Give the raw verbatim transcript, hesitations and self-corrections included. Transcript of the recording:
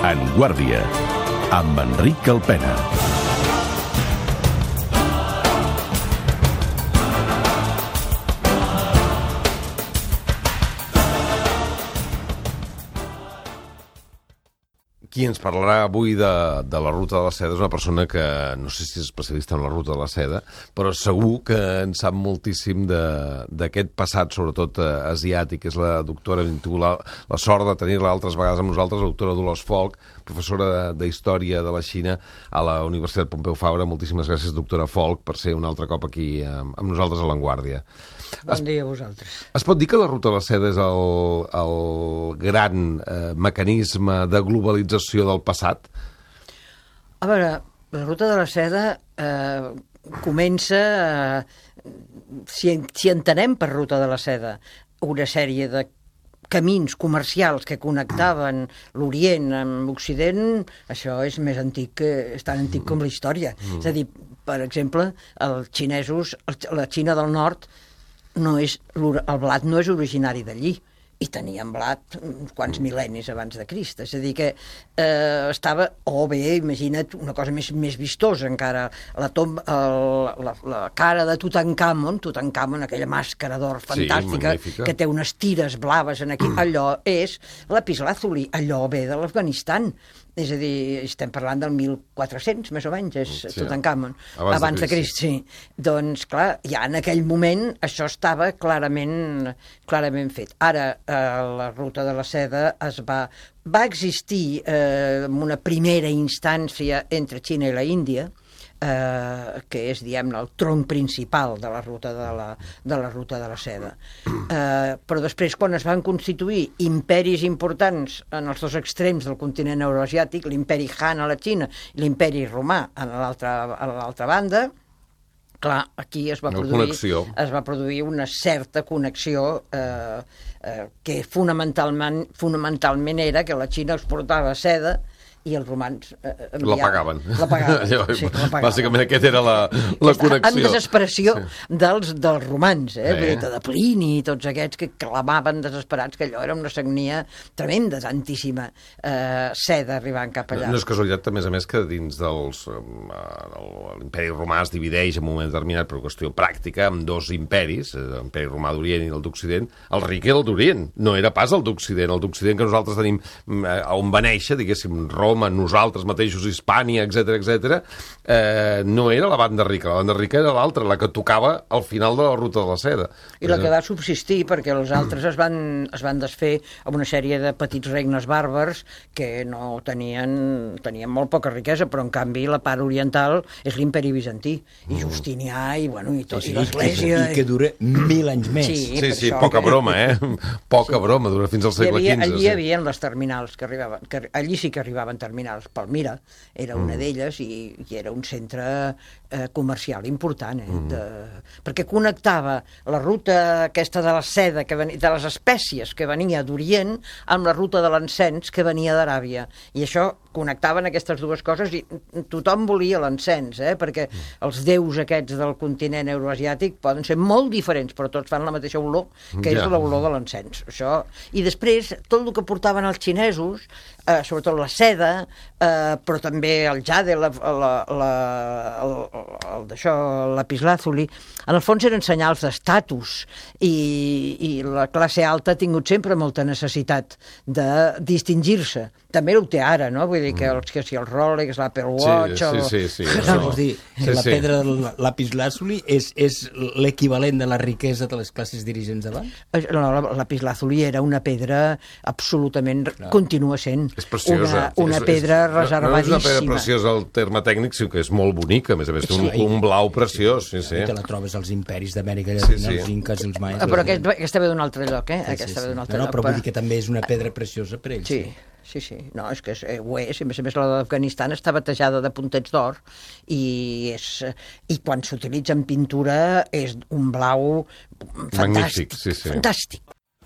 En Guàrdia, amb Enric Calpena. Qui ens parlarà avui de, de la Ruta de la Seda és una persona que no sé si és especialista en la Ruta de la Seda, però segur que en sap moltíssim d'aquest passat, sobretot eh, asiàtic. És la doctora, hem tingut la, la sort de tenir-la altres vegades amb nosaltres, la doctora Dolors Folch, professora d'Història de la Xina a la Universitat Pompeu Fabra. Moltíssimes gràcies, doctora Folch, per ser un altre cop aquí amb, amb nosaltres a l'Avantguàrdia. Bon dia a vosaltres. Es pot dir que la Ruta de la Seda és el, el gran eh, mecanisme de globalització del passat? A veure, la Ruta de la Seda eh, comença, eh, si, si entenem per Ruta de la Seda una sèrie de camins comercials que connectaven l'Orient amb l'Occident, això és més antic, que, és tan antic com la història. Mm. És a dir, per exemple, els xinesos, la Xina del Nord, no és, el blat no és originari d'allí, i tenien blat uns quants mil·lennis abans de Crist. És a dir, que eh, estava, o bé, imagina't, una cosa més, més vistosa encara, la, tomba, el, la, la cara de Tutankamon, Tutankamon, aquella màscara d'or fantàstica, sí, que té unes tires blaves en aquí, allò és lapislàzuli, allò ve de l'Afganistan. És a dir, estem parlant del mil quatre-cents, més o menys, és sí, Tutankamon. Abans, abans de Crist, sí. Doncs, clar, ja en aquell moment això estava clarament, clarament fet. Ara, eh, la Ruta de la Seda es va, va existir eh, en una primera instància entre Xina i la Índia, Eh, que és, diguem-ne, el tronc principal de la ruta de la, de la ruta de la Seda. Eh, però després, quan es van constituir imperis importants en els dos extrems del continent euroasiàtic, l'imperi Han a la Xina i l'imperi romà a l'altra banda, clar, aquí es va, produir, es va produir una certa connexió eh, eh, que fonamentalment, fonamentalment era que la Xina exportava seda i els romans eh, enviaven. La pagaven. La pagaven, sí, la pagaven. Bàsicament aquesta era la, la connexió. En desesperació sí. dels, dels romans, eh? eh. de Plini i tots aquests que clamaven desesperats que allò era una sagnia tremenda, tantíssima eh, seda arribant cap allà. No, no és casualitat, a més a més, que dins dels... Eh, l'imperi romà es divideix en un moment determinat per qüestió pràctica amb dos imperis, l'imperi romà d'Orient i el d'Occident. El ric era el d'Orient, no era pas el d'Occident. El d'Occident que nosaltres tenim eh, on va néixer, diguéssim, Roma, nosaltres mateixos, Hispània, etcètera, etcètera, eh, no era la banda rica, la banda rica era l'altra, la que tocava al final de la Ruta de la Seda. I la que va subsistir, perquè els altres es van, es van desfer amb una sèrie de petits regnes bàrbars que no tenien, tenien molt poca riquesa, però en canvi la part oriental és l'imperi bizantí, i Justinià, i, bueno, i, tot, sí, i l'Església... I que dura mil anys més. Sí, sí, sí poca que... broma, eh? Poca sí. broma, dura fins al segle havia, quinze. Allí sí. hi havia les terminals que arribaven, que allí sí que arribaven terminals. Palmira era una mm. d'elles i, i era un centre eh, comercial important, eh, mm. de, perquè connectava la ruta aquesta de la seda, que venia, de les espècies que venia d'Orient, amb la ruta de l'encens que venia d'Aràbia. I això connectaven aquestes dues coses i tothom volia l'encens, eh, perquè els déus aquests del continent euroasiàtic poden ser molt diferents, però tots fan la mateixa olor, que ja. és l'olor de l'encens. Això. I després, tot el que portaven els xinesos, eh, sobretot la seda, eh, però també el jade, la, la, la, el, el d'això, el lapislàzuli, en el fons eren senyals d'estatus, i, i la classe alta ha tingut sempre molta necessitat de distingir-se. També ho té ara, no? Vull dir que, els, que si el Rolex, l'Apple Watch... Sí, el... sí, sí. sí no, vols dir, sí, la sí. pedra del lapislàzuli és, és l'equivalent de la riquesa de les classes dirigents d'abans? No, la lapislàzuli era una pedra absolutament... Clar. Continua sent és preciosa. una, una és, pedra és, reservadíssima. No és una pedra preciosa el terme tècnic, sinó que és molt bonica, a més a més té un, un blau preciós. Sí, sí. I te la trobes als imperis d'Amèrica Llatina, sí, sí. els inques, els maies... Ah, però aquest, aquesta ve d'un altre lloc, eh? Sí, aquesta sí, sí. ve d'un altre no, no, lloc. però vull dir que també és una pedra preciosa per ells. Sí. Sí, sí, no, és que és, eh, ho és, i a més a més la d'Afganistan està batejada de puntets d'or i, és, i quan s'utilitza en pintura és un blau fantàstic, sí, sí. fantàstic,